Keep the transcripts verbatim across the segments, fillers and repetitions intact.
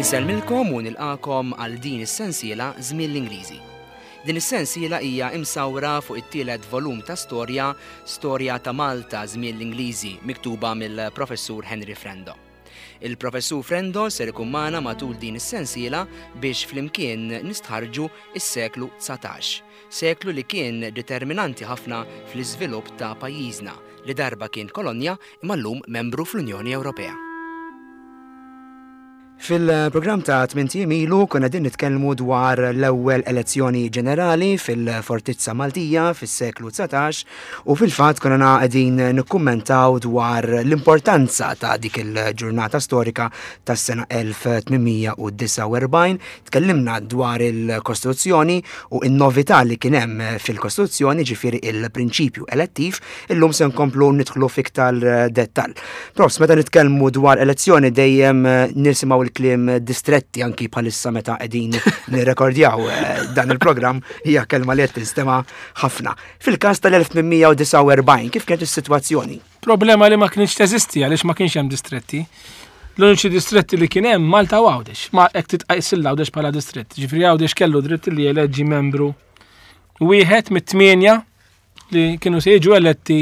Insellmilkom u nilqakom għal din is-sensiela Żmien l-Ingliżi. Din is-sensiela hija imsawra fuq it-tielet volum ta' storja, Storja ta' Malta Żmien l-Ingliżi, miktuba mill-Professur Henry Frendo. Il-Professur Frendo ser ikun magħna matul din is-sensiela biex flimkien nistħarġu is-seklu dsatax, seklu li kien determinanti ħafna fl-iżvilupp ta' pajjiżna li darba kien kolonja imma llum membru fl-Unjoni Ewropea. Fil-programm ta' tmint ijiem ilu konna din nitkellmu dwar l-ewwel elezzjoni ġenerali fil-Fortizza Maltija fis-seklu dsatax u fil-fatt konna qegħdin nikkummentaw dwar l-importanza ta' dik il-ġurnata storika tas-sena elf tmien mija u disgħa u erbgħin. Tkellimna dwar il-Kostituzzjoni u n-novità li kien hemm fil-Kostituzzjoni, ġifieri il-prinċipju elettiv. Illum se nkomplu nidħlu fiktar dettall. Profs, meta nitkellmu dwar elezzjoni dejjem nisimgħu il-kliem distretti, anki bħalissa meta qegħdin nirrekordjaw, eh, dan il-programm hija kelma li qed tinstema' ħafna. Fil-każ tal-elf tmien mija u disgħa u erbgħin, kif kienet is-sitwazzjoni? Problema li ma kienx teżisti għaliex ma kienx hemm distretti. L-uniċi distretti li kien hemm Malta u Għawdex, ma hekk titqajs il-Għawdex bħala distrett. Ġifieri Għawdex kellu dritt li jeleġġi membru wieħed mit-tmienja li kienu se jiġu eletti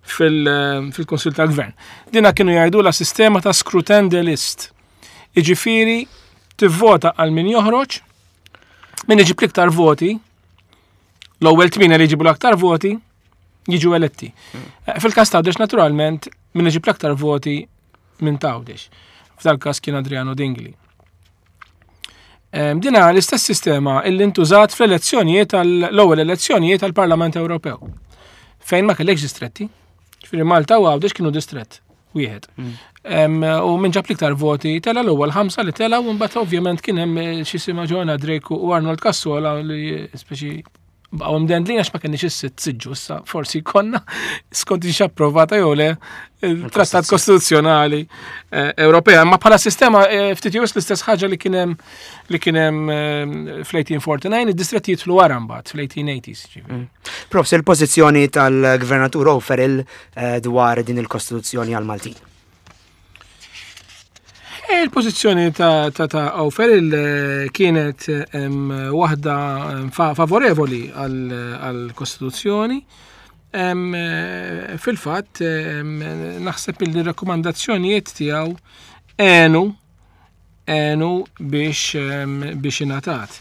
fil-, fil-Kunsill tal-Gvern. Dina kienu jgħidu la sistema ta' scrutin de list. Iġifieri tivvota għal min joħroġ, min iġib l-iktar voti, l-ewwel tmienja li jġibu l-aktar voti jiġu eletti. Mm. Eh, fil-każ ta' Għawdex naturalment min iġib l-aktar voti minn Għawdex. F'dal każ kien Adriano Dingli. Em, dina l-istess sistema illi ntużat fl-elezzjonijiet tal-ewwel elezzjonijiet tal-Parlament Ewropew, fejn ma kellekx distretti. Ġifieri Malta u Għawdex kienu distrett wieħed. Mm. Em, u minn ġab l-iktar voti tela l-ewwel ħamsa li tela u mbagħad ovvjament kien hemm, eh, xi sima Joanna Drake u Arnold Cassola li speċi baqgħu mdendlin għax ma kenniex is-sitt siġġu issa, forsi konna skont ix approvata jew le il-Trattat Kostituzzjonali, eh, Ewropea, ma bħala sistema, eh, ftit jew l-istess ħaġa li kien hemm li kien hemm, eh, fl-eighteen forty-nine, id-distretti jidħlu wara mbagħad fl-eighteen eighties, ġifieri. Mm. Profs, il-pożizzjoni tal-Gvernatur O'Farrell, eh, dwar din il-Kostituzzjoni għal-Maltin? Eh, il-pożizzjoni ta', ta', ta' O'Farrell, eh, kienet, em, waħda, em, fa-, favorevoli għal, għall-Kostituzzjoni. Em, eh, fil-fatt, em, naħseb li r-rakkomandazzjonijiet tiegħu għenu, għenu biex, em, biex ingħatat,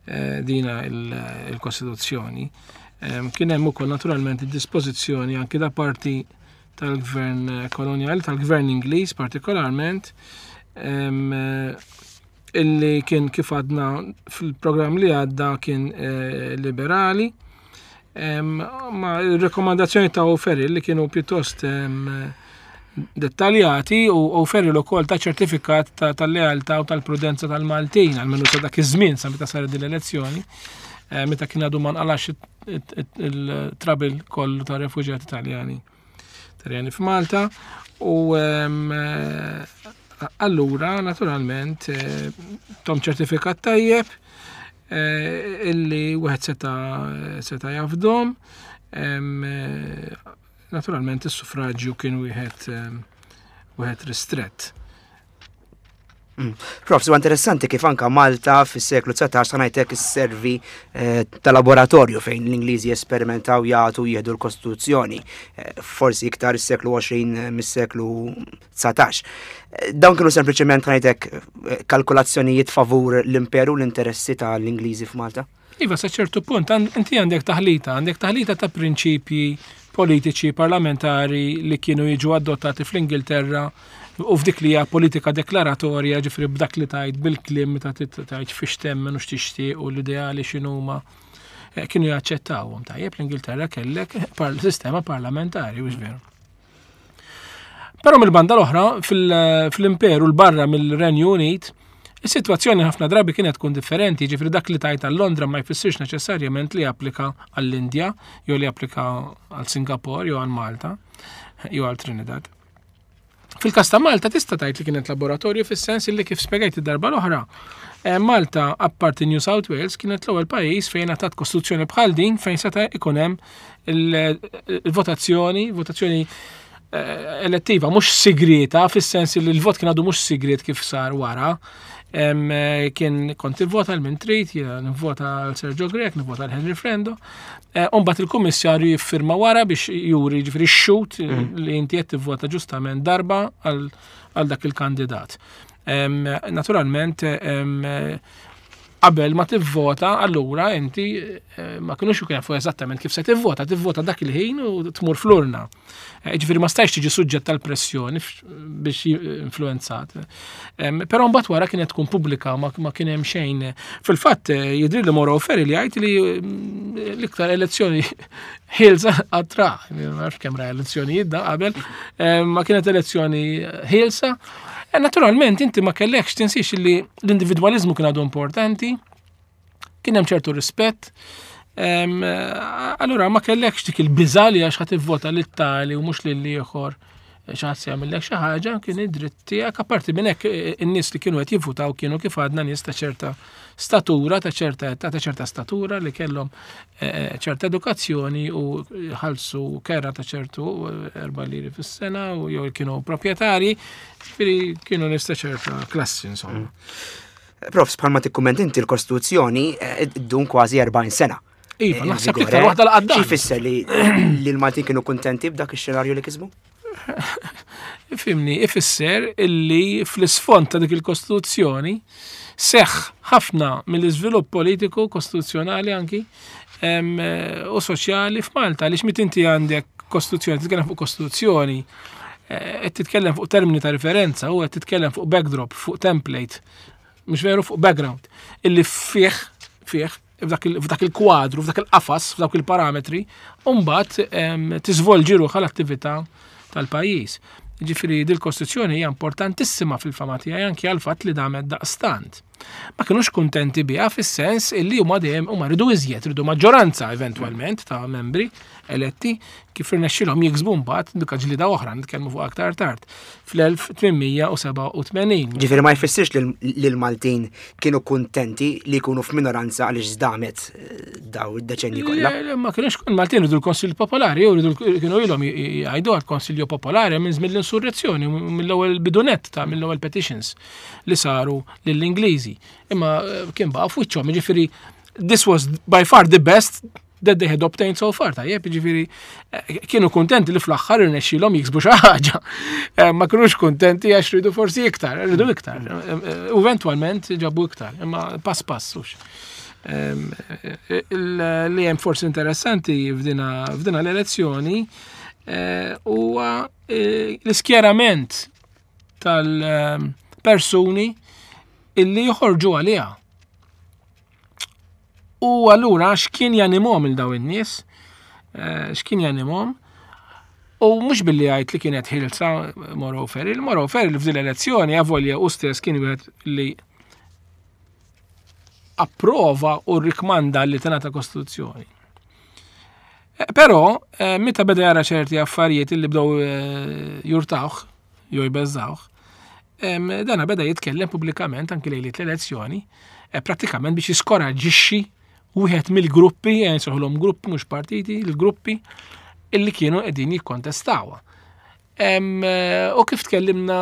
eh, dina il-, il-Kostituzzjoni. Em, kien hemm ukoll naturalment id-dispożizzjoni anki da parti tal-gvern koloniali, tal-gvern Ingliż partikolarment, em, illi kien kif għadna fil-programm li għadda kien, eh, liberali. Em, ma r-rekomandazzjoni ta' O'Farrell li kienu pjuttost, em, dettaljati u O'Farrell ukoll ta' ċertifikat ta', tal-lealtà u tal-prudenza tal-Maltin, għalmenu sa dak iż-żmien sa meta saret din l-elezzjoni, eh, meta kien għadu ma nqalax il-trouble kollu ta' refuġjati Taljani. Taljani f'Malta u, em, eh, allura naturalment, eh, tom ċertifikat tajjeb, eh, illi wieħed seta', seta' jafdom. Em, eh, naturalment is-suffraġġju kien wieħed, em, wieħed ristrett. Mm. Prof, huwa interessanti kif anka Malta fis-seklu dsatax ta' ngħidlek isservi, eh, ta' laboratorju fejn l-Ingliżi esperimentaw jagħtu jieħdu l-Kostituzzjoni, eh, forsi iktar is-seklu għoxrin, eh, mis-seklu dsatax. Eh, dawn kienu sempliċement ngħidlek, eh, kalkulazzjonijiet favur l-imperu l-interessi tal-Ingliżi f'Malta? Iva, sa ċertu punt, għan-, inti għandek taħlita, għandek taħlita ta' prinċipji politiċi parlamentari li kienu jiġu adottati fl-Ingilterra u f'dik li hija politika deklaratorja, ġifieri b'dak li tajt bil-kliem meta tgħid fiex temmen u x'tixtieq u l-ideali x'inhuma, eh, kienu jaċċettawhom. Tajjeb, l-Ingilterra kellek par-, sistema parlamentari, mhux veru. Però mill-banda l-oħra, fil-, fl-imperu l-barra mill-Renju Unit, is-sitwazzjoni ħafna drabi kienet tkun differenti, ġifieri dak li tajt għal Londra ma jfissirx neċessarjament li japplika għall-Indja, jew li japplika għal Singapore, jew għal Malta, jew għal Trinidad. Fil-każ ta' Malta tista' tgħid li kienet laboratorju fis-sens li kif spjegajt id-darba l-oħra, eh, Malta apparti New South Wales kienet l-ewwel pajjiż fejn ngħatat kostituzzjoni bħal din fejn seta' ikun hemm il-votazzjoni, votazzjoni eh, elettiva, mhux sigrita, fis-sens li l-vot kien għadu mhux sigrit kif sar wara. Eh, kien kont ivvota l min trid, jiena nivvota għal Sergio Grech, nivvota għal Henry Frendo. Eh, Umbagħad il-kummissarju jiffirma wara biex juri, ġifieri x-xhud mm. li inti qed tivvota ġustament darba għal dak il-kandidat. Naturalment, qabel ma tivvota, allura inti eh, ma kienux jafu eżattament kif se tivvota, tivvota dak il-ħin u tmur fl-urna. Eh, ġifieri ma stajx tiġi suġġett tal-pressjoni biex influenzat. Però mbagħad wara kienet tkun pubblika, ma kien hemm xejn. Fil-fatt eh, jidri li Mauro O'Farrell li jgħid li mm, l-iktar elezzjoni ħielsa għatra, ma nafx kemm ra elezzjonijiet da qabel, ma kienet elezzjoni ħielsa. E naturalment inti ma kellekx, tinsiex li l-individwalizmu kien għadu importanti, kien hemm ċertu rispett. Allura ma kellekx dik il-biża li għax ħa tivvota lit-tali u mhux lil ieħor xi ħadd se jagħmellek xi ħaġa, kien id-dritt tiegħek. Apparti minn hekk, in-nies li kienu qed jivvutaw kienu, kif għadna, nies ta' ċerta statura, ta' ċerta età, ta' ċerta statura, li kellhom eh, ċerta edukazzjoni u ħalsu kera ta' ċertu erba' liri fis-sena u jew kienu proprjetari, ġifieri kienu nies ta' ċerta klassi, insomma. Mm. Profs, bħalma tikkumment inti, l-Kostituzzjoni eh, ddum kważi erbgħin sena. Iva, naħseb iktar waħda l-qadda. Xi jfisser li l-Maltin kienu kuntenti b'dak ix-xenarju li kisbu? Ifhimni, ifisser illi fl-isfond ta' dik il-Kostituzzjoni seħ ħafna mill-iżvilupp politiku, kostituzzjonali anki u soċjali f'Malta, għaliex meta inti għandek kostituzzjoni, titkellem fuq kostituzzjoni, eh, qed titkellem fuq termini ta' referenza u qed titkellem fuq backdrop, fuq template, mhux veru, fuq background, illi fih fih f'dak il-kwadru, f'dak il-qafas, f'dak il-parametri, mbagħad tiżvolġi ruħha l-attività tal-pajjiż. Ġifieri dil-Kostituzzjoni hija importantissima fil-fehma tiegħi anki għal fatt li damet daqstant. Ma kienux kuntenti biha fis-sens illi huma dejjem huma ridu iżjed, ridu maġġoranza eventwalment ta' membri eletti, kif irnexxilhom jiksbu mbagħad, dik ġlida oħra nitkellmu fuq aktar tard, fl-elf tmien mija u sebgħa u tmenin. Ġifieri ma jfissirx li l-Maltin kienu kuntenti li jkunu f'minoranza għaliex damet eh, daw id-deċenji kollha. Ma kienux, il-Maltin ridu l-Konsil Popolari, jew ridu, kienu ilhom jgħidu għall-Konsilju Popolari minn żmien l-insurrezzjoni, mill-ewwel bidunet ta' mill-ewwel petitions li saru lill-Ingliżi. Imma eh, kien baqa' f'wiċċhom, ġifieri this was by far the best that they had obtained so far, tajjeb, ġifieri, eh, kienu kontenti li fl-aħħar irnexxilhom jiksbu xi ħaġa. Eh, ma kienux kontenti għax ridu forsi iktar, ridu iktar. U eventualment ġabu iktar, imma pass pass hux. Li hemm forsi interessanti f'dina l-elezzjoni huwa l-iskjerament tal-persuni illi joħorġu għaliha. U allura x'kien janimhom il daw in-nies? Eh, x'kien janimhom? U mhux billi għajt li kienet ħielsa Mauro O'Farrell, Mauro O'Farrell f'din l-elezzjoni, avolja u stess kien wieħed li approva u rikmanda li tingħata kostituzzjoni. Eh, però, eh, meta beda jara ċerti affarijiet li bdew jurtawh, jew jbeżżawh, dana beda jitkellem pubblikament anki lejliet l-elezzjoni, prattikament biex jiskoraġġixxi wieħed mill-gruppi, nsejħulhom gruppi mhux partiti, il-gruppi illi kienu qegħdin jikkontestawha. U kif tkellimna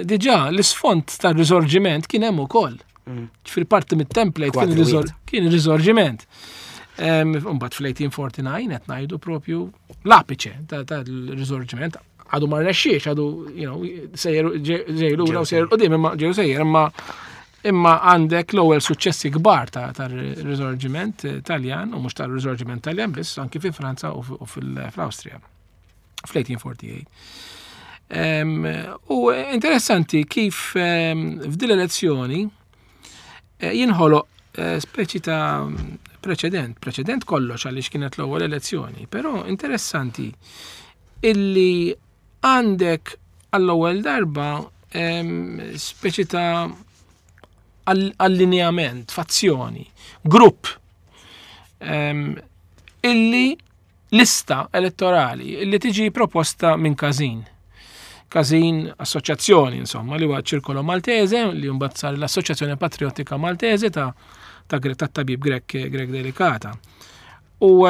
diġà, l-isfond tar-risorġiment kien hemm ukoll. Mm. Fil-parti mit-template kien il-risorġiment. Mbagħad fl-elf tmien mija u disgħa u erbgħin qed ngħidu propju l-apiċe tal-risorġiment, għadu ma rnexxiex, għadu you know, sejjer ġej lura u sejjer qudiem, imma ġew sejjer, imma imma għandek l-ewwel suċċessi kbar ta' tar-risorġiment Taljan, u mhux tar-risorġiment Taljan biss, anki fi Franza u fl-Awstrija fl-elf tmien mija u tmienja u erbgħin. U interessanti kif f'din l-elezzjoni eh, jinħoloq eh, speċi ta' preċedent, preċedent kollox għaliex kienet l-ewwel elezzjoni, però interessanti illi għandek għall-ewwel darba speċi ta' allineament, fazzjoni, grupp illi lista elettorali illi tiġi proposta minn Każin. Każin assoċjazzjoni, insomma, li huwa Ċirkolo Maltese, li mbagħad sar l-Assoċjazzjoni Patriottika Maltese ta' ta' tabib Grech Grech Delicata. U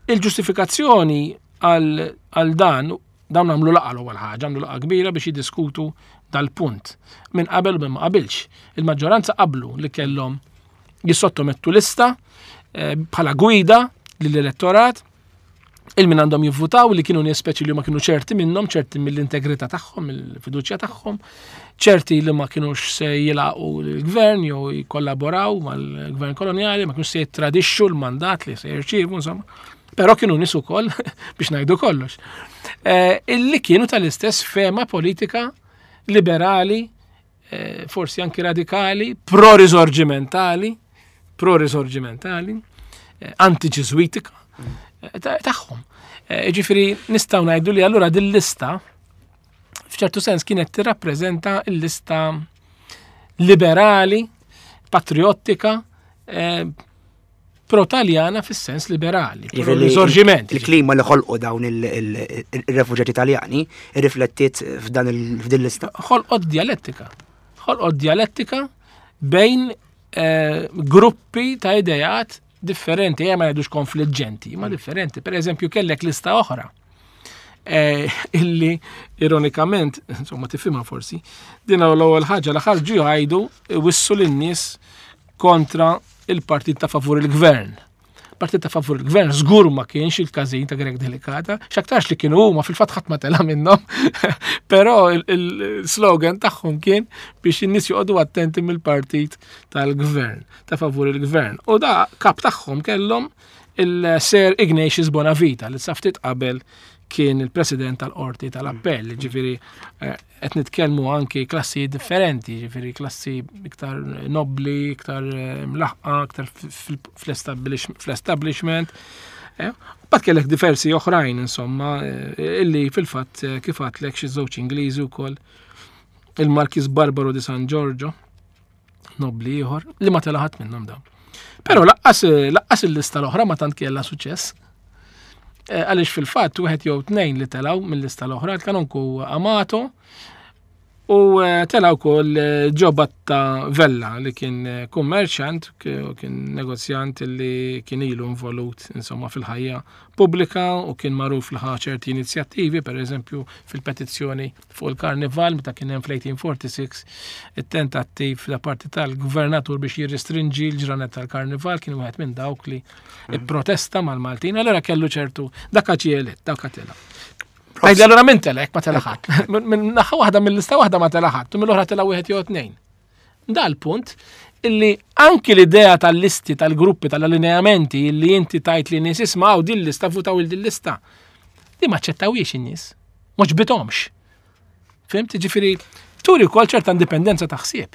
il-ġustifikazzjoni għal dan Dawn għamlu laqgħa l-ewwel ħaġa, għamlu laqgħa kbira biex jiddiskutu dal-punt. Min qabel u min ma qabilx. Il-maġġoranza qablu li kellhom jissottomettu lista eh, bħala gwida lill-elettorat il-min għandhom jivvutaw li kienu nies speċi li ma kienu ċerti minnhom, ċerti mill-integrità tagħhom, mill-fiduċja tagħhom, ċerti li ma kienux se jilaqu l-gvern jew jikollaboraw mal-gvern koloniali, ma kienux se jittradixxu l-mandat li se jirċievu, insomma. Però kienu nies ukoll biex ngħidu kollox. Eh, illi kienu tal-istess fehma politika liberali, eh, forsi anki radikali, pro-risorgimentali, pro-risorgimentali, eh, anti-ġiżwitika tagħhom. Ġifieri nistgħu ngħidu li allura din lista f'ċertu sens kienet tirrappreżenta l-lista liberali, patriottika, pro-Taljana fis-sens liberali. Risorġiment. Il-klima li ħolqu dawn il-refuġjati Taljani irriflettiet f'dan il-f'din lista. Ħolqot dialettika. Ħolqot dialettika bejn eh, gruppi ta' idejat differenti, ma jgħidux konfliġġenti, ma differenti. Per eżempju, kellek lista oħra. Eh, illi ironikament, insomma tifhimha forsi, din l-ewwel ħaġa li ħarġu jgħidu wissu lin-nies kontra il-partit ta' favur il-gvern. Partit ta' favur il-gvern żgur ma kienx il-każin ta' Grech Delicata, x'aktarx li kienu huma fil-fatt ħadd ma tela' minnhom, però il-slogan tagħhom kien biex in-nies joqogħdu attenti mill-partit tal-gvern, ta' favur il-gvern. U da kap tagħhom kellhom il-Sir Ignatius Bonavita li sa ftit qabel kien il-president tal-qorti tal-appell, ġifieri qed nitkellmu anki klassi differenti, ġifieri klassi iktar nobli, iktar mlaħqa, iktar fl-establishment. Bat kellek diversi oħrajn, insomma, illi fil-fatt kif għedtlek xi żewġ Ingliżi wkoll il-Marquis Barbaro di San Giorgio, nobli ieħor, li ma tela' ħadd minnhom dawn. Però lanqas lanqas il-lista l-oħra ma tant kellha suċċess. Għaliex fil-fatt wieħed jew tnejn li telgħu mill-lista l-oħra, il-kanonku Amato u telgħu wkoll Giobatta Vella li kien kummerċant, kien negozjant li kien ilu involut insomma fil-ħajja pubblika u kien magħruf li ħa ċerti inizjattivi, per eżempju fil-petizzjoni fuq il-karnival meta kien hemm fl-eighteen forty-six it-tentattiv da parti tal-gvernatur biex jirrestrinġi l-ġranet tal-karnival, kien wieħed minn dawk li protesta mal-Maltin, allora kellu ċertu dak ġie elett, dak tela'. Għajdi allora minn telek ma tela' ħadd. Minn naħa waħda, mill-lista waħda ma tela' ħadd, u mill-oħra tela' wieħed jew tnejn. Dal-punt illi anki l-idea tal-listi, tal-gruppi, tal-allineamenti illi inti tajt li nies isma' din lista, votaw il din lista. Di ma ċettawiex in-nies. Ma ġbitomx. Fhimt? Ġifieri turi wkoll ċerta indipendenza ta' ħsieb.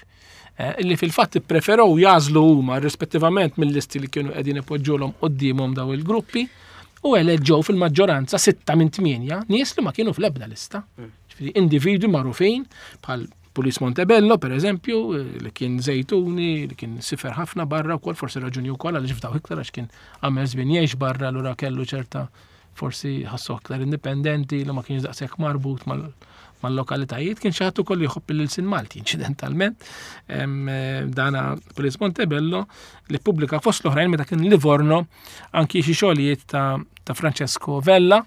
Eh, illi fil-fatt ippreferow jagħżlu huma rispettivament mill-listi li kienu qegħdin ipoġġulhom quddiemhom daw il-gruppi u eleġġew fil-maġġoranza sitta minn tmienja nies li ma kienu fl-ebda lista. Ġifieri individwi magħrufin bħal Pulis Montebello, per eżempju, li kien Zejtuni, li kien sifer ħafna barra wkoll, forsi raġuni wkoll għaliex fdaw iktar għax kien għamel żmien jgħix barra, allura kellu ċerta forsi ħassu aktar indipendenti li ma kienx daqshekk marbut mal-lokalitajiet, kien xi ħadd ukoll jħobb il-sin Malti, inċidentalment. Dana Pulis Montebello li pubblika fost l-oħrajn meta kien Livorno anki xi xogħlijiet ta', ta Francesco Vella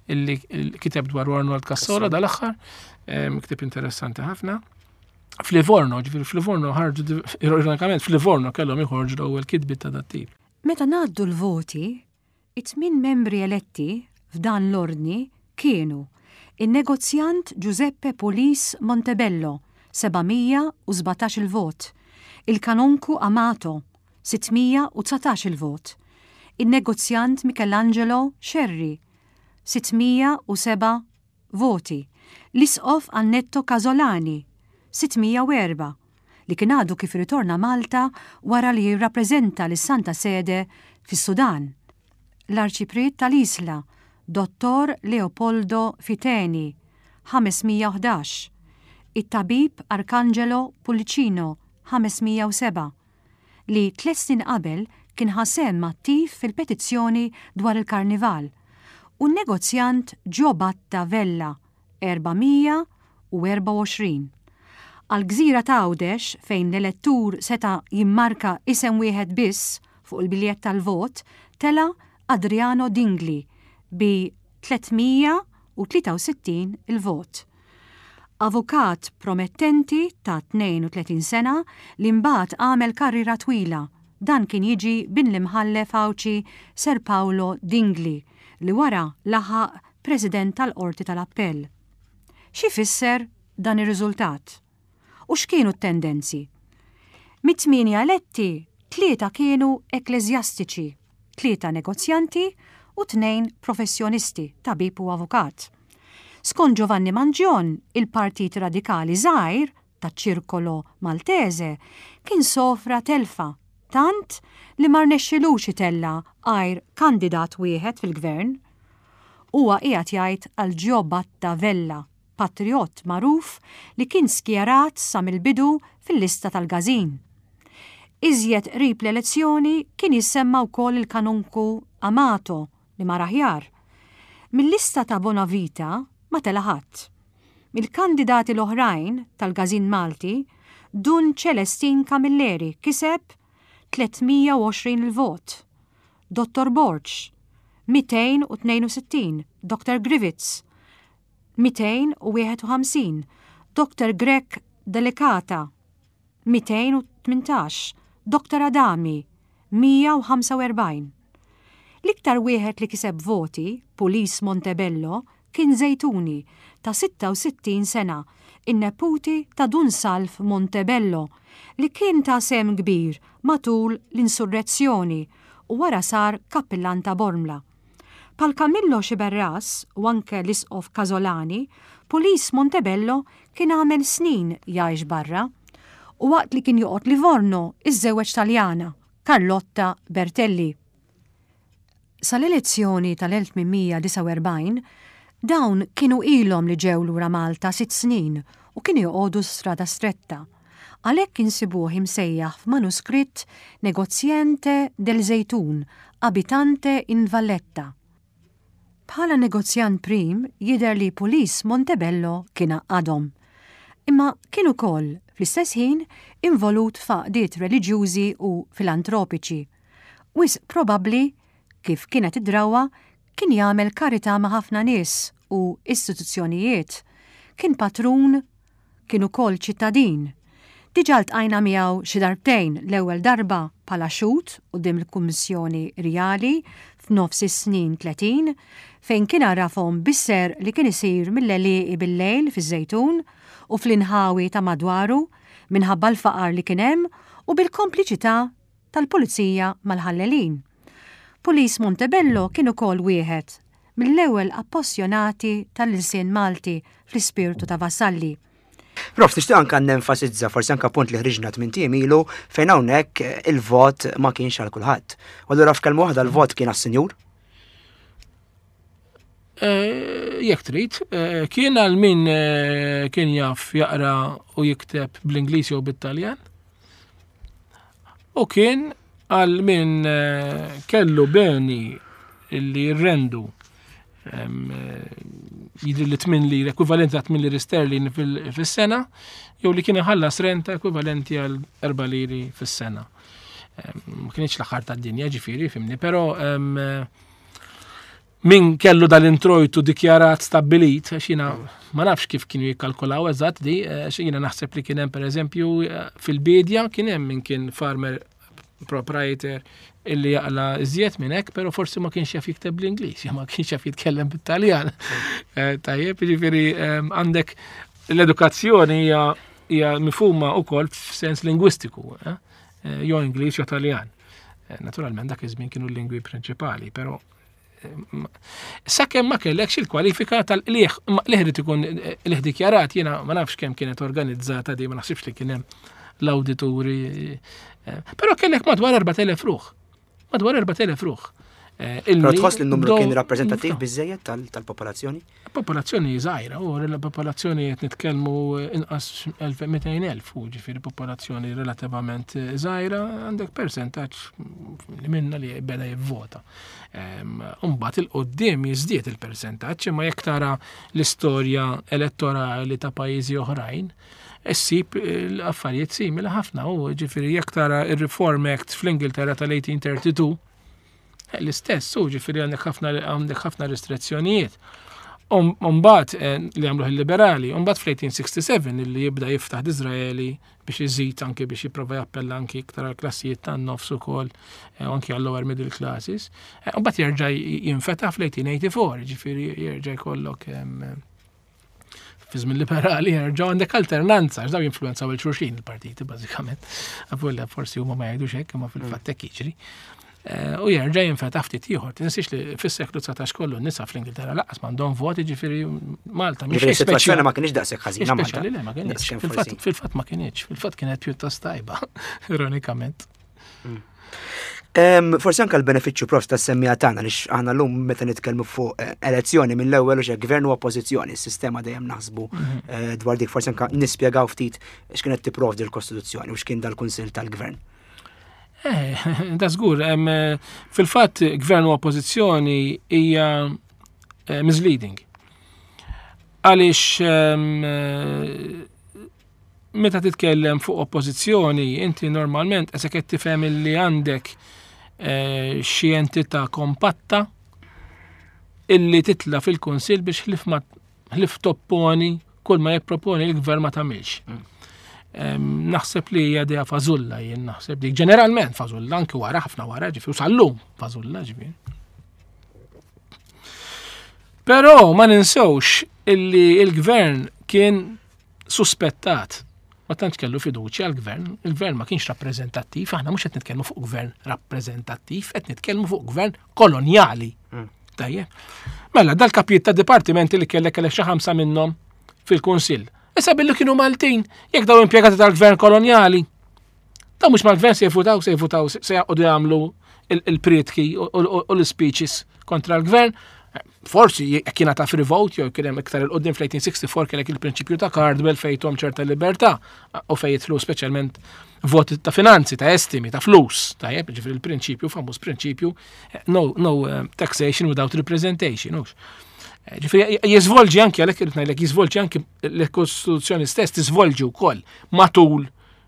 illi kiteb dwar Arnold Cassola dal-aħħar, ktieb interessanti ħafna. F'Livorno, ġifieri f'Livorno ħarġu, ironikament f'Livorno kellhom joħorġu l-ewwel kitbiet ta' dat-tip. Meta ngħaddu l-voti, it-tmien membri eletti f'dan l-ordni kienu in-negozjant Giuseppe Pulis Montebello, seba' mija u sbatax il-vot, il-kanonku Amato, sitt mija u dsatax il-vot, il-negozjant Michelangelo Scerri, sitt mija u seba' voti, l-isqof Annetto Casolani, sitt mija u erbgħa, li kien għadu kif ritorna Malta wara li jirrappreżenta lis-Santa Sede fis-Sudan. L-Arċipriet tal-Isla, Dottor Leopoldo Fiteni, ħames mija u ħdax, it-tabib Arcangelo Pullicino, ħames mija u sebgħa, li tliet snin qabel kien ħa sehem attiv fil-petizzjoni dwar il-karnival, u n-negozjant Giobatta Vella, erba' mija u erbgħa u għoxrin. Għal-gżira ta' Għawdex, fejn l-elettur seta' jimmarka isem wieħed biss fuq il-biljett tal-vot, tela' Adriano Dingli bi tliet mija u u tlieta u sittin il-vot. Avukat promettenti ta' tnejn u tletin sena li mbagħad għamel karriera twila. Dan kien jiġi bin l-imħallef Għawdxi Sir Paolo Dingli li wara laħaq President tal-Qorti tal-Appell. Xi fisser dan ir-riżultat? U x'kienu t-tendenzi? Mit-tmienja eletti, tlieta kienu ekkleżjastiċi, tlieta negozjanti u tnejn professjonisti, tabib u avukat. Skont Giovanni Mangion, il-Partit Radikali żgħir taċ-Ċirkolo Maltese kien sofra telfa, tant li ma rnexxilux itella' għajr kandidat wieħed fil-gvern. Huwa qiegħed jgħid għal Giobatta Vella, patriot magħruf li kien skjerat sa mill-bidu fil-lista tal-Gazin. Iżjed qrib l-elezzjoni kien jissemma wkoll il-kanunku Amato li mar aħjar. Mill-lista ta' Bonavita ma tela' ħadd. Mill-kandidati l-oħrajn tal-Gazin Malti, Dun Celestin Camilleri kiseb tliet mija u għoxrin il-vot, Dottor Borg mitejn u tnejn u sittin, Doctor Griffiths mitejn u wieħed u ħamsin, Doctor Grech Delicata mitejn u tmintax, Doctor Adami mija u ħamsa u erbgħin. L-iktar wieħed li kiseb voti, Pulis Montebello, kien Zejtuni ta' sitta u sittin sena, in-neputi ta' Dun Salv Montebello, li kien ta' sehem kbir matul l-insurrezzjoni u wara sar kappillan ta' Bormla. Pal Camillo Sciberras u anke l-Isqof Casolani, Pulis Montebello kien għamel snin jgħix barra u waqt li kien joqgħod Livorno iżżewweġ Taljana, Carlotta Bertelli. Sal-elezzjoni tal-elf tmien mija disgħa u erbgħin, dawn kienu ilhom li ġew lura Malta sitt snin u kienu joqogħdu Strada Stretta. Għalhekk insibuh imsejjaħ f'manuskritt Negoziente del Zejtun, abitante in Valletta. Bħala negozjant prim jidher li Pulis Montebello kien għaqqadhom. Imma kien ukoll fl-istess ħin involut f'għaqdiet reliġjużi u filantropiċi. Wisq probabbli, kif kienet id-drawwa, kien jagħmel karità ma' ħafna nies u istituzzjonijiet. Kien patrun, kien ukoll ċittadin. Diġà ltqajna miegħu xi darbtejn, l-ewwel darba bħala xhud quddiem il-Kummissjoni Rjali f'nofs is-snin tletin, fejn kien għarafhom bis-ser li kien isir mill-għelieqi bil-lejl fiż-Żejtun u fl-inħawi ta' madwaru minħabba l-faqar li kien hemm u bil-kompliċità tal-pulizija mal-ħallelin. Pulis Montebello kien ukoll wieħed mill-ewwel appassjonati tal-ilsien Malti fl-ispirtu ta' Vassalli. Prof, tixtieq anka nenfasizza forsi anka punt li ħriġna tmien ijiem ilu fejn hawnhekk il-vot ma kienx għal kulħadd. U allura f'kelma waħda l-vot kien għas-sinjur? Eh, jekk trid, eh, kien għal min, eh, kien jaf jaqra u jikteb bl-Ingliż jew bit-Taljan. U kien għal min, eh, kellu beni li jirrendu, em, jidri li tmien liri, ekwivalenti ta' tmien liri sterlin fil-, fis-sena, jew li kien iħallas renta ekwivalenti għal erba' liri fis-sena. Em, ma kienx l-aħħar tad-dinja, ġifieri, fimni, però, em, min kellu dal-introjtu dikjarat stabbilit, għax jiena ma nafx kif kienu jikkalkulaw eżatt di, għax jiena naħseb li kien hemm pereżempju fil-bidja kien hemm min kien farmer proprietor illi jaqla iżjed minn hekk, però forsi ma kienx jaf jikteb bl-Ingliż, jew ma kienx jaf jitkellem bit-Taljan. Eh, tajjeb, jiġifieri, ehm, għandek l-edukazzjoni hija, hija mifhuma wkoll f'sens lingwistiku, eh? Eh, jew Ingliż jew Taljan. Eh, naturalment dak iż-żmien kienu l-lingwi prinċipali, però sakemm ma kellekx il-kwalifika tal-qliħ, ma qliħ irid ikun qliħ dikjarat, jiena ma nafx kemm kienet organizzata di, ma naħsibx li kien hemm l-awdituri, eh, però kellek madwar erbat elef ruħ. Madwar erbat elef ruħ. Eh, Però illi tħoss li n-numru bdew kien rappreżentattiv jinftaħ. biżżejjed tal-, tal-popolazzjoni? Popolazzjoni żgħira, u l-popolazzjoni qed nitkellmu inqas elf mitejn elf, u ġifieri popolazzjoni relattivament żgħira, għandek persentaġġ li minna li beda jivvota. Ehm, Imbagħad il-qudiem jiżdied il-persentaġġ, imma jekk tara l-istorja elettorali ta' pajjiżi oħrajn, issib l-affarijiet simili ħafna, u ġifieri jekk tara ir-Reform Act fl-Ingilterra tal-eighteen thirty-two, l-istess, u ġifieri għandek ħafna, għandek ħafna restrizzjonijiet. Umbagħad li għamluh il-liberali, umbagħad fl-eighteen sixty-seven li jibda jiftaħ Disraeli biex iżid anki biex jipprova jappella anki iktar għal klassijiet tan-nofs ukoll u anki għal lower middle classes. Umbagħad jerġa' jinfetaħ fl-eighteen eighty-four, ġifieri jerġa' jkollok fi żmien liberali, jerġgħu għandek alternanza, għax daw jinfluenzaw 'il xulxin il-partiti bażikament. Avolja forsi huma ma jgħidux hekk, imma fil-fatt hekk jiġri. Eh, u jerġa' jinfetaħ ftit ieħor. Tinsiex li fis-seklu dsatax kollu n-nisa fl-Ingilterra lanqas m'għandhom voti, ġifieri Malta mhix Ġifieri ma kienx daqshekk ħażina. Speċjali le, ma kienx. Fil-fatt ma kienx, fil-fatt kienet pjuttost tajba, ironikament. Mm. Forsi anka l-benefiċċju, prof, ta' semmija tagħna li aħna llum meta nitkellmu fuq eh, elezzjoni mill-ewwel u gvern u oppożizzjoni, s-sistema dejjem naħsbu mhm. eh, dwar dik, forsi anka nispjegaw ftit x'kienet tipprovdi l-Kostituzzjoni u x'kien dal-Kunsill tal-Gvern. Eh, da żgur, fil-fatt gvern u oppożizzjoni hija misleading. Għaliex meta titkellem fuq oppożizzjoni, inti normalment qed qed tifhem li għandek eh, xi entità kompatta illi titla fil-Kunsill biex ħlif ma ħlif topponi kull ma jipproponi l-gvern ma tagħmilx. Mm. Naħseb li hija idea fażulla, jien naħseb dik ġeneralment fażulla anki wara, ħafna wara, ġifieri sal-lum fażulla ġifieri. Però ma ninsewx illi il-gvern kien suspettat, ma tantx kellu fiduċja għal-gvern, il-gvern ma kienx rappreżentattiv, aħna mhux qed nitkellmu fuq gvern rappreżentattiv, qed nitkellmu fuq gvern kolonjali. Mm. Tajjeb. Mela, dal-kapijiet ta' dipartimenti li kellek kellek xi ħamsa minnhom fil-Kunsill. Issa billi kienu Maltin, jekk daw impjegati tal-gvern kolonjali, daw mhux mal-gvern se jivvutaw, se jivvutaw, se jaqogħdu jagħmlu il-prietki u l-speeches kontra l-gvern. Forsi jekk kien ta' free vote jew kien hemm iktar 'il quddiem fl-eighteen sixty-four kellek il-prinċipju ta' Cardwell fejn tahom ċerta libertà u fejn jidħlu speċjalment voti ta' finanzi, ta' estimi, ta' flus. Tajjeb, ġifieri il-prinċipju, famuż prinċipju, no, no eh, taxation without representation. Hux. Eh, ġifieri jiżvolġi anki, għalhekk irid ngħidlek, jiżvolġi anki l-Kostituzzjoni stess, tiżvolġi wkoll matul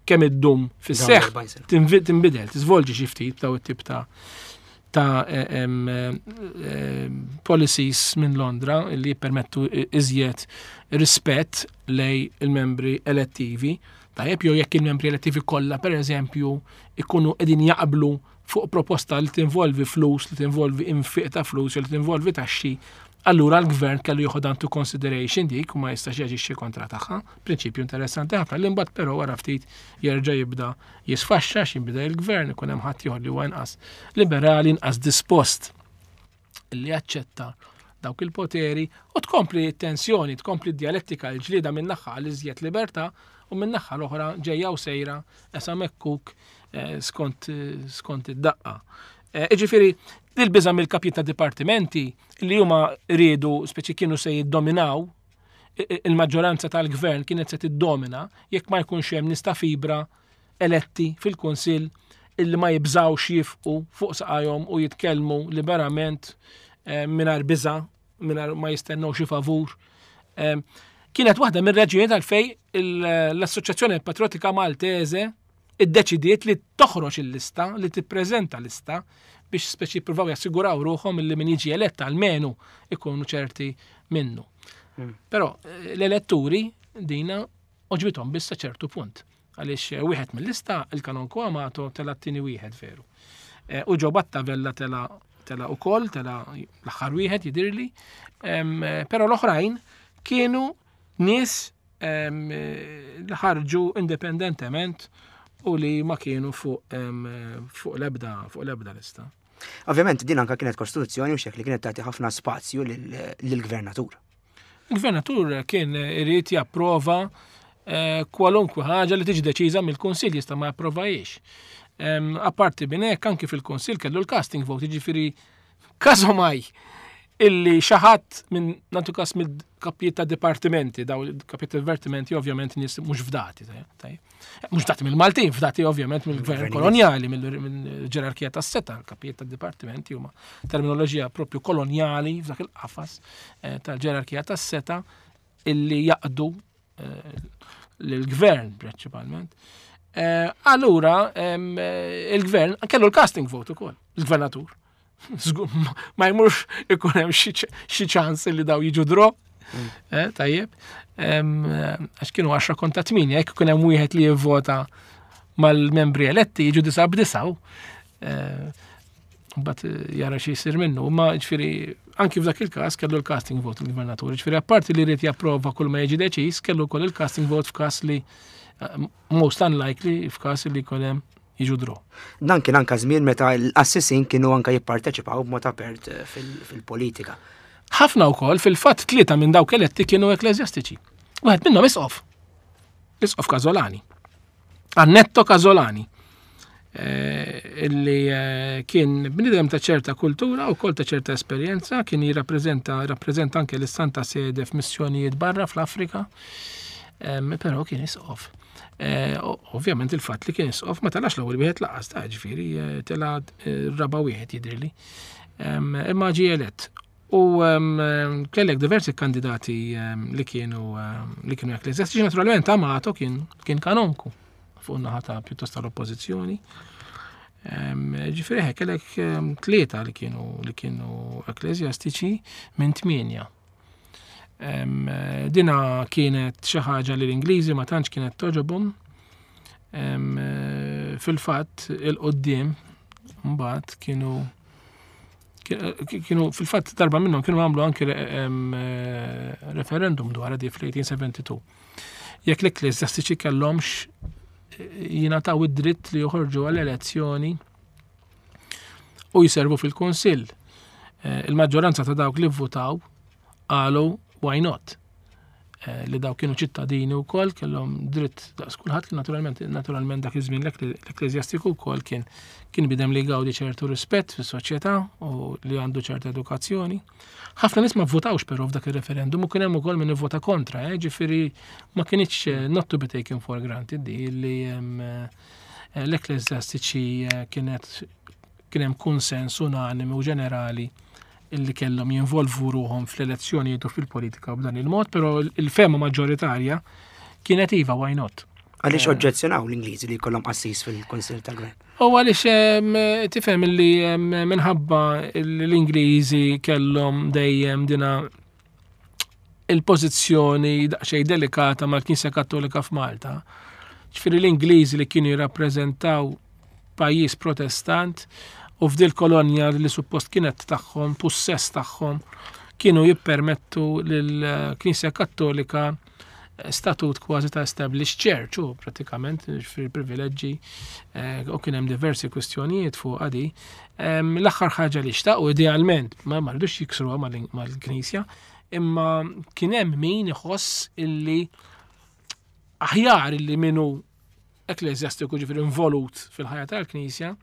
kemm iddum fis-seħħ, tinbidel, tiżvolġi xi ftit daw it-tip ta' ta' eh, eh, policies minn Londra li jippermettu iżjed rispett lej il-membri elettivi. Tajjeb, jew jekk il-membri elettivi kollha, per eżempju, ikunu qegħdin jaqblu fuq proposta li tinvolvi flus, li tinvolvi infiq ta' flus, li tinvolvi taxxi, allura l-gvern kellu jieħu into consideration dik u ma jistax jaġixxi kontra tagħha. Prinċipju interessanti ħafna li mbagħad però wara ftit jerġa' jibda jisfaxxa x'inbida il-gvern, ikun hemm ħadd ieħor li huwa inqas liberali, inqas dispost li jaċċetta dawk il-poteri u tkompli t-tensjoni, tkompli d-dialettika, l-ġlieda min-naħa għal iżjed libertà u min-naħa l-oħra ġejja u sejra esa mekkuk eh, skont skont id-daqqa. Eh, Iġifieri, il-biża mill-kapijiet ta' dipartimenti li huma riedu speċi kienu se jiddominaw il-maġġoranza tal-gvern, kienet se tiddomina jekk ma jkunx hemm nies ta' fibra eletti fil-Kunsill illi ma jibżawx jifqu fuq saqajhom u jitkellmu liberament eh, mingħajr biża, mingħajr ma jistennew xi favur. Eh, kienet waħda mir-raġunijiet għalfej l-Assoċjazzjoni Patriotika Maltese iddeċidiet li toħroġ il-lista, li tippreżenta lista biex speċi jippruvaw jassiguraw ruħhom li min jiġi elett almenu ikunu ċerti minnu. Mm. Però eh, l-eletturi dina għoġbithom biss ċertu punt. Għaliex eh, wieħed mill-lista, il-Kanonku Amato, tela t-tieni wieħed veru. Eh, u Gio Batta Vella tela tela ukoll, tela l-aħħar wieħed jidirli. Però l-oħrajn kienu nies li ħarġu indipendentement u li ma kienu fuq fuq l-ebda fuq l-ebda lista. Ovvjament din anka kienet kostituzzjoni u xek li kienet tagħti ħafna spazju lill-gvernatur. Il-gvernatur kien irid japprova eh, kwalunkwe ħaġa li tiġi deċiża mill-Kunsill, jista' ma japprovajiex. Apparti minn hekk, anki fil-Kunsill kellu l-casting vote, jiġifieri każomaj illi xi ħadd minn, nagħtu kas, mill-kapijiet ta' dipartimenti, daw kapijiet ta' dipartimenti ovvjament nies mhux fdati, mhux fdati mill-Maltin, fdati ovvjament mill-gvern kolonjali, mill-ġerarkija tas-setgħa, kapijiet ta' dipartimenti huma terminoloġija propju kolonjali f'dak il-qafas eh, tal-ġerarkija tas-setgħa illi jaqdu eh, l-gvern prinċipalment. Eh, allura il-gvern kellu l-casting vote ukoll, il-gvernatur. Ma jmurx ikun hemm xi ċans li daw jiġu draw. Mm. Eh, tajjeb. Għax kienu għaxra kontra tmienja, jekk ikun hemm wieħed li jivvota mal-membri eletti jiġu disa b'disaw. Eh, mbagħad eh, jara xi jsir minnu, ma ġifieri anki f'dak il-każ kellu l-casting vote il-gvernatur. Ġifieri apparti li jrid japprova kull ma jiġi deċiż, kellu wkoll il-casting vote f'każ li eh, most unlikely f'każ li jkun hemm jiġu draw. Dan kien anka żmien meta l-qassisin kienu anka jipparteċipaw b'mod apert eh, fil-politika. Ħafna wkoll fil-fatt tlieta minn dawk eletti kienu ekkleżjastiċi. Wieħed minnhom isqof. Isqof Casolani. Annetto Casolani. Eh, illi eh, kien bnidem ta' ċerta kultura u kol ta' ċerta esperjenza, kien jirrappreżenta rappreżenta anke l-Santa Sede f'missjonijiet barra fl-Afrika, però kien isqof. Eh, ovvjament il-fatt li kien isqof ma telax l-ewwel wieħed lanqas ta' ġifieri tela raba' wieħed jidhirli. Imma ġie elett. U kellek diversi kandidati li kienu li kienu ekkleżjastiċi, naturalment Amato kien kien kanonku fuq naħa ta' pjuttost tal-oppożizzjoni. Ġifieri kellek tlieta li kienu li kienu ekkleżjastiċi minn tmienja. Dina kienet xi ħaġa li l-Ingliżi ma tantx kienet togħġobhom. Fil-fatt il-qoddim mbagħad kienu kienu fil-fatt darba minnhom kienu għamlu anke referendum dwar di fl-elf disa' mija u tnejn u sebgħin. Jekk l-ekkleżjastiċi kellhomx jingħataw id-dritt li joħorġu għall-elezzjoni u jiservu fil-Kunsill. Eh, il-maġġoranza ta' dawk li votaw qalu why not? Eh, li daw kienu ċittadini wkoll kellhom dritt daqs kulħadd li naturalment naturalment dak iż-żmien l-ekkleżjastiku wkoll kien kien bniedem li jgawdi ċertu rispett fis-soċjetà u li għandu ċerta edukazzjoni. Ħafna nies ma votawx però f'dak ir-referendum u kien hemm ukoll min ivvota kontra, eh, ġifieri ma kinitx eh, not to be taken for granted di li eh, l-ekkleżjastiċi kienet kien hemm konsens unanimi u ġenerali illi kellhom jinvolvu ruhom fl-elezzjonijiet u fil-politika b'dan il-mod, però il-fehma maġġoritarja kienet iva, why not? Għaliex oġġezzjonaw l-Ingliżi li jkollhom qassis fil-Kunsill tal-Gvern? U għaliex tifhem li minħabba l-Ingliżi kellhom dejjem dina il-pożizzjoni daqsxejn delikata mal-Knisja Kattolika f'Malta. Ġifieri l-Ingliżi li kienu jirrappreżentaw pajjiż protestant u f'dil kolonja li suppost kienet tagħhom, pussess tagħhom, kienu jippermettu lill-Knisja Kattolika statut kważi ta' established church u pratikament fil-privileġġi eh, u kien hemm diversi kwistjonijiet fuq għadi. L-aħħar ħaġa li xtaqu idealment ma marridux jiksruha mal-Knisja, imma kien hemm min iħoss illi aħjar illi minnu ekkleżjastiku, ġifieri involut fil-ħajja tal-Knisja,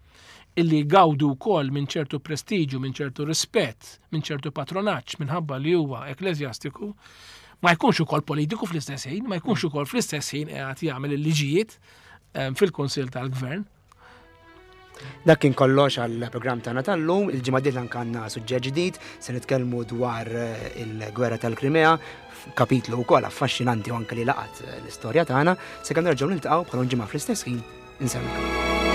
illi gawdu wkoll minn ċertu prestiġu, minn ċertu rispett, minn ċertu patronaġġ minħabba li huwa ekkleżjastiku, ma jkunx ukoll politiku fl-istess ħin, ma jkunx ukoll fl-istess ħin qiegħed jagħmel il-liġijiet ehm, fil-Kunsill tal-Gvern. Dak kien kollox għall-programm tagħna tal-lum, il-ġimgħa dieħla għandna suġġett ġdid, se nitkellmu dwar eh, il-gwerra tal-Krimea, kapitlu wkoll affaxxinanti u anke li laqat eh, l-istorja tagħna, se kan nerġgħu niltaqgħu bħal ġimgħa fl-istess ħin, insellmilkom.